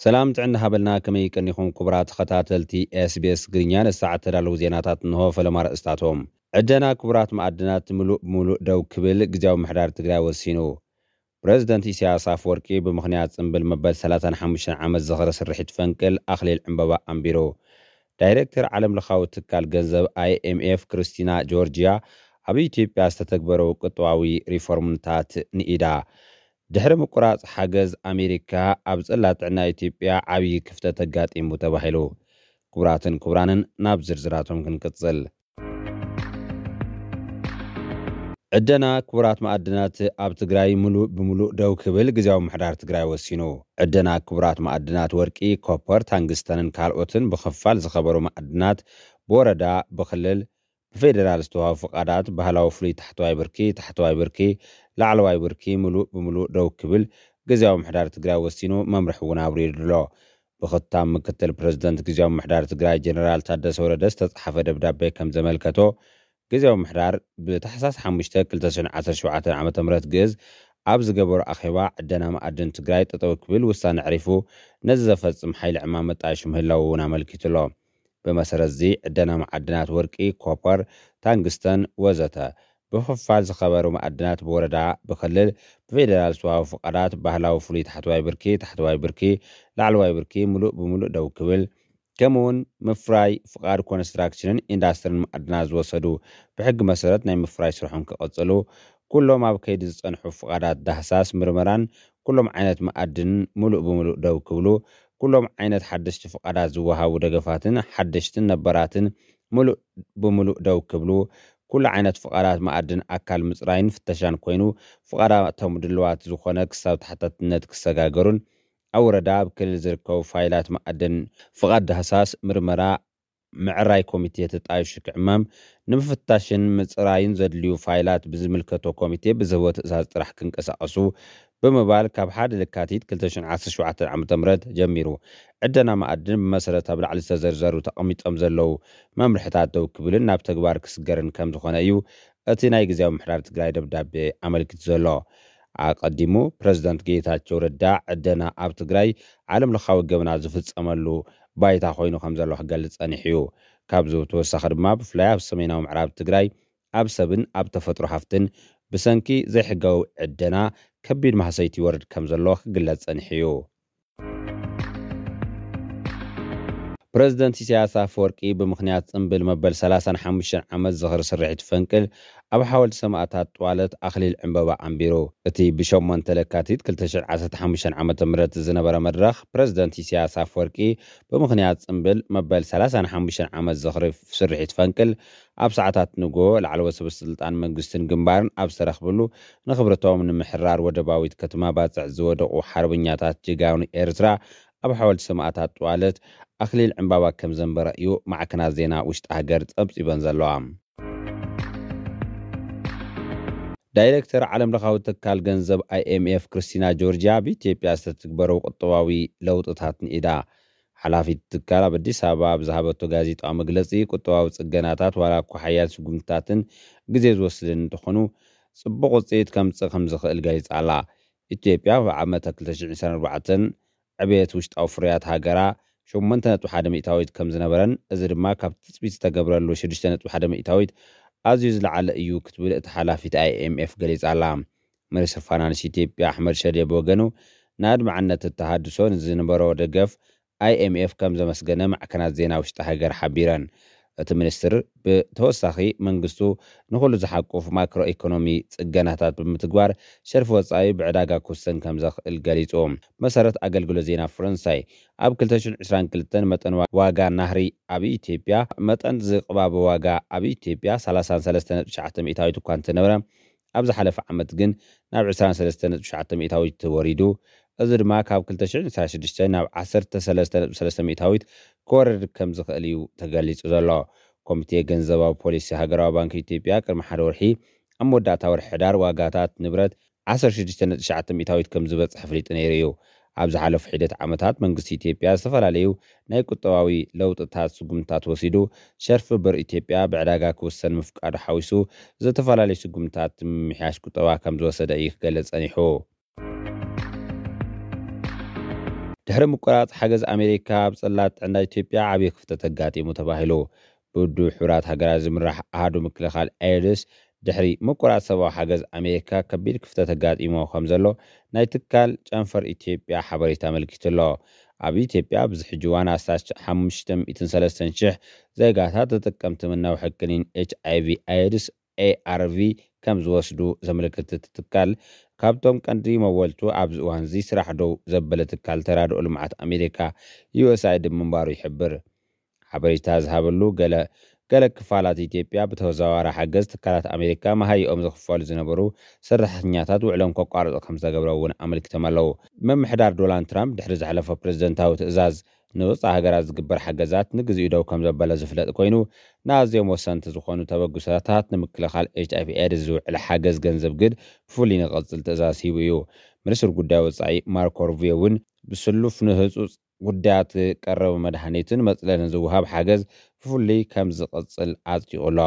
ሰላም ጥዕና ሃበልና፣ ከመይ ቀኒኹም ክቡራት ተኸታተልቲ ኤስቢኤስ ትግርኛ? ንሰዓት ተዳለዉ ዜናታት እንሆ። ፈለማ ኣርእስታቶም። ዕደና ክቡራት መኣድናት ምሉእ ብምሉእ ደው ክብል ግዝያዊ ምሕዳር ትግራይ ወሲኑ። ፕረዚደንት ኢሳያስ ኣፈወርቂ ብምኽንያት ጽምብል መበል ሰላሳን ሓሙሽተን ዓመት ዝኽሪ ስርሒት ፈንቅል ኣኽሊል ዕምበባ ኣንቢሩ። ዳይሬክተር ዓለም ለኻዊ ትካል ገንዘብ ኣይኤምኤፍ ክርስቲና ጆርጂያ ኣብ ኢትዮጵያ ዝተተግበረው ቁጠባዊ ሪፎርምታት ንኢዳ። ድሕሪ ምቁራጽ ሓገዝ ኣሜሪካ ኣብ ጽላት ጥዕና ኢትዮጵያ ዓብዪ ክፍተት ኣጋጢሙ ተባሂሉ። ክቡራትን ክቡራንን ናብ ዝርዝራቶም ክንቅጽል። ዕደና ክቡራት መኣድናት ኣብ ትግራይ ምሉእ ብምሉእ ደው ክብል ግዝያዊ ምሕዳር ትግራይ ወሲኑ። ዕደና ክቡራት መኣድናት ወርቂ፣ ኮፐር፣ ታንግስተንን ካልኦትን ብኽፋል ዝኸበሩ መኣድናት ብወረዳ፣ ብክልል፣ ብፌዴራል ዝተዋሃቡ ፍቓዳት ባህላዊ ፍሉይ ታሕተዋይ ብርኪ፣ ታሕተዋይ ብርኪ፣ ላዕለዋይ ብርኪ ምሉእ ብምሉእ ደው ክብል ግዝያዊ ምሕዳር ትግራይ ወሲኑ መምርሒ እውን ኣብሪሩ ኣሎ። ብኽታም ምክትል ፕረዚደንት ግዝያዊ ምሕዳር ትግራይ ጀነራል ታደሰ ወረደ ዝተፅሓፈ ደብዳቤ ከም ዘመልከቶ፣ ግዝያዊ ምሕዳር ብታሕሳስ ሓሙሽተ ክልተ ሽሕን ዓሰርተ ሸውዓተን ዓመተ ምህረት ግእዝ ኣብ ዝገበሮ ኣኼባ ዕደና መኣድን ትግራይ ጠጠው ክብል ውሳነ ኣዕሪፉ ነዚ ዘፈፅም ሓይሊ ዕማም መጣየሹ ምህላው እውን ኣመልኪቱ ኣሎ። ብመሰረት እዚ ዕደና መዓድናት ወርቂ፣ ኮፐር፣ ታንግስተን ወዘተ ብኽፋል ዝኸበሩ መኣድናት ብወረዳ፣ ብክልል፣ ብፌዴራል ዝተዋሃቡ ፍቓዳት ባህላዊ ፍሉይ ታሕተዋይ ብርኪ፣ ታሕተዋይ ብርኪ፣ ላዕለዋይ ብርኪ ምሉእ ብምሉእ ደው ክብል፣ ከምኡውን ምፍራይ ፍቓድ ኮንስትራክሽንን ኢንዳስትርን መኣድናት ዝወሰዱ ብሕጊ መሰረት ናይ ምፍራይ ስርሖም ክቕጽሉ፣ ኩሎም ኣብ ከይዲ ዝጸንሑ ፍቓዳት ዳህሳስ ምርመራን ኩሎም ዓይነት መኣድን ምሉእ ብምሉእ ደው ክብሉ፣ ኩሎም ዓይነት ሓደሽቲ ፍቓዳት ዝወሃቡ ደገፋትን ሓደሽትን ነባራትን ምሉእ ብምሉእ ደው ክብሉ፣ ኩሉ ዓይነት ፍቓዳት መኣድን ኣካል ምጽራይን ፍተሻን ኮይኑ፣ ፍቓዳቶም ድልዋት ዝኾነ ክሳብ ተሓታትነት ክሰጋገሩን ኣብ ወረዳ፣ ኣብ ክልል ዝርከቡ ፋይላት መኣድን ፍቓድ ዳህሳስ ምርመራ ምዕራይ ኮሚቴ ተጣይሹ ክዕመም፣ ንምፍታሽን ምጽራይን ዘድልዩ ፋይላት ብዝምልከቶ ኮሚቴ ብዝህቦ ትእዛዝ ጥራሕ ክንቀሳቐሱ ብምባል ካብ ሓደ ለካቲት ክልተ ሽሕን ዓሰርተ ሸውዓተን ዓመተ ምህረት ጀሚሩ ዕደና መኣድን ብመሰረት ኣብ ላዕሊ ዝተዘርዘሩ ተቐሚጦም ዘለዉ መምርሕታት ደው ክብልን ናብ ተግባር ክስገርን ከም ዝኾነ እዩ እቲ ናይ ግዝያዊ ምሕዳር ትግራይ ደብዳቤ ኣመልኪቱ ዘሎ። ኣቐዲሙ ፕረዚደንት ጌታቸው ረዳ ዕደና ኣብ ትግራይ ዓለም ለኻዊ ገበናት ዝፍጸመሉ ባይታ ኮይኑ ከም ዘሎ ክገልጽ ጸኒሑ እዩ። ካብዚ ብተወሳኺ ድማ ብፍላይ ኣብ ሰሜናዊ ምዕራብ ትግራይ ኣብ ሰብን ኣብ ተፈጥሮ ሃፍትን ብሰንኪ ዘይሕጋዊ ዕደና ከቢድ ማህሰይቲ ይወርድ ከም ዘሎ ክግለጽ ጸኒሑ እዩ። ፕረዚደንት ኢሳያስ ኣፈወርቂ ብምኽንያት ጽምብል መበል ሰላሳን ሓሙሽተን ዓመት ዝኽሪ ስርሒት ፈንቅል ኣብ ሓወልቲ ሰማእታት ጥዋለት ኣኽሊል ዕምበባ ኣንቢሩ። እቲ ብሸሞንተ ለካቲት ክልተ ሽሕን ዓሰርተ ሓሙሽተን ዓመተ ምህረት ዝነበረ መድረኽ፣ ፕረዚደንት ኢሳያስ ኣፈወርቂ ብምኽንያት ጽምብል መበል ሰላሳን ሓሙሽተን ዓመት ዝኽሪ ስርሒት ፈንቅል ኣብ ሰዓታት ንግሆ ላዕለዎት ሰበ ስልጣን መንግስትን ግንባርን ኣብ ዝተረኽብሉ፣ ንኽብረቶም ንምሕራር ወደባዊት ከተማ ባጽዕ ዝወደቑ ሓርበኛታት ጀጋኑ ኤርትራ ኣብ ሓወልቲ ሰማእታት ጥዋለት ኣኽሊል ዕምባባ ከም ዘንበረ እዩ ማዕከናት ዜና ውሽጢ ሃገር ጸብጺበን ዘለዋ። ዳይሬክተር ዓለም ለኻዊ ትካል ገንዘብ ኣይኤምኤፍ ክርስቲና ጆርጂያ ኣብ ኢትዮጵያ ዝተትግበረው ቁጠባዊ ለውጥታት ንኢዳ። ሓላፊት ትካል ኣብ ኣዲስ ኣበባ ኣብ ዝሃበቶ ጋዜጣዊ መግለጺ፣ ቁጠባዊ ጽገናታት ዋላ እኳ ሓያል ስጉምትታትን ግዜ ዝወስድን እንተኾኑ፣ ጽቡቕ ውጽኢት ከምጽእ ከም ዝኽእል ገሊጻ ኣላ። ኢትዮጵያ ኣብ ዓመተ ክልተ ሽሕን ዕስራን ኣርባዕተን ዕብየት ውሽጣዊ ፍርያት ሃገራ ሸሞንተ ነጥቢ ሓደ ሚእታዊት ከም ዝነበረን፣ እዚ ድማ ካብ ትጽቢት ዝተገብረሉ ሽዱሽተ ነጥቢ ሓደ ሚእታዊት ኣዝዩ ዝለዓለ እዩ ክትብል እቲ ሓላፊት ኣይኤምኤፍ ገሊጻ ኣላ። ሚኒስትር ፋይናንስ ኢትዮጵያ ኣሕመድ ሸዴ ብወገኑ፣ ንኣድማዕነት እቲ ተሃድሶ ንዝነበሮ ደገፍ ኣይኤምኤፍ ከም ዘመስገነ ማዕከናት ዜና ውሽጢ ሃገር ሓቢረን። እቲ ሚኒስትር ብተወሳኺ መንግስቱ ንኹሉ ዝሓቁፍ ማክሮ ኢኮኖሚ ጽገናታት ብምትግባር ሸርፊ ወጻኢ ብዕዳጋ ክውሰን ከም ዘኽእል ገሊጹ። መሰረት ኣገልግሎት ዜና ፈረንሳይ፣ ኣብ ክልተ ሽሕን ዕስራን ክልተን መጠን ዋ-፣ ዋጋ ናህሪ ኣብ ኢትዮጵያ፣ መጠን ዝቕባበ ዋጋ ኣብ ኢትዮጵያ ሰላሳን ሰለስተን ነጥቢ ትሽዓተ ሚእታዊት እኳ እንተነበረ፣ ኣብ ዝሓለፈ ዓመት ግን ናብ ዕስራን ሰለስተን ነጥቢ ትሽዓተ ሚእታዊት ወሪዱ። እዚ ድማ ካብ ክልተ ሽሕን ዕስራን ሽዱሽተን ናብ ዓሰርተ ሰለስተ ነጥቢ ሰለስተ ሚእታዊት ክወርድ ከም ዝኽእል እዩ ተገሊጹ ዘሎ። ኮሚቴ ገንዘባዊ ፖሊሲ ሃገራዊ ባንክ ኢትዮጵያ ቅድሚ ሓደ ወርሒ ኣብ መወዳእታ ወርሒ ሕዳር ዋጋታት ንብረት ዓሰርተ ሽዱሽተ ነጥቢ ትሽዓተ ሚእታዊት ከም ዝበጽሕ ኣፍሊጡ ነይሩ እዩ። ኣብ ዝሓለፉ ሒደት ዓመታት መንግስቲ ኢትዮጵያ ዝተፈላለዩ ናይ ቁጠባዊ ለውጥታት ስጉምትታት ወሲዱ፣ ሸርፊ ብር ኢትዮጵያ ብዕዳጋ ክውሰን ምፍቃዱ ሓዊሱ ዝተፈላለዩ ስጉምትታት ንምምሕያሽ ቁጠባ ከም ዝወሰደ እዩ ክገልጽ ጸኒሑ። ድሕሪ ምቁራፅ ሓገዝ ኣሜሪካ ኣብ ፅላት ጥዕና ኢትዮጵያ ዓብዪ ክፍተት ኣጋጢሙ ተባሂሉ። ብውድብ ሕቡራት ሃገራት ዝምራሕ ኣሃዱ ምክልኻል ኤድስ ድሕሪ ምቁራፅ ሰብኣዊ ሓገዝ ኣሜሪካ ከቢድ ክፍተት ኣጋጢሞ ከም ዘሎ ናይ ትካል ጨንፈር ኢትዮጵያ ሓበሬታ ኣመልኪቱ ኣሎ። ኣብ ኢትዮጵያ ኣብዚ ሕጂ እዋን ኣስታት ሓሙሽተ ሚእትን ሰለስተን ሽሕ ዜጋታት ተጠቀምቲ መናውሒ ክኒን ኤች ኣይ ቪ ኤድስ ኤ ኣር ቪ ከም ዝወስዱ ዘመልክት እቲ ትካል፣ ካብቶም ቀንዲ መወልቱ ኣብዚ እዋን እዚ ስራሕ ደው ዘበለ ትካል ተራድኦ ልምዓት ኣሜሪካ ዩ ኤስ ኣይ ዲ ምንባሩ ይሕብር። ሓበሬታ ዝሃበሉ ገለ ገለ ክፋላት ኢትዮጵያ ብተዘዋዋሪ ሓገዝ ትካላት ኣሜሪካ መሃይኦም ዝኽፈሉ ዝነበሩ ሰራሕተኛታት ውዕሎም ከቋርፁ ከም ዝተገብረ እውን ኣመልኪቶም ኣለዉ። ምምሕዳር ዶናልድ ትራምፕ ድሕሪ ዘሕለፎ ፕሬዝደንታዊ ትእዛዝ ንወፃኢ ሃገራት ዝግበር ሓገዛት ንግዚኡ ደው ከም ዘበለ ዝፍለጥ ኮይኑ፣ ንኣዝዮም ወሰንቲ ዝኾኑ ተበግሶታት ንምክልኻል ኤች ኣይ ቪ ኤድስ ዝውዕል ሓገዝ ገንዘብ ግን ብፍሉይ ንክቕፅል ትእዛዝ ሂቡ እዩ። ሚኒስትር ጉዳይ ወፃኢ ማርኮ ሩቢዮ እውን ብስሉፍ ንህፁፅ ጉዳያት ቀረብ መድሃኒትን መፅለልን ዝወሃብ ሓገዝ ብፍሉይ ከም ዝቕፅል ኣፅዲቑ ኣሎ።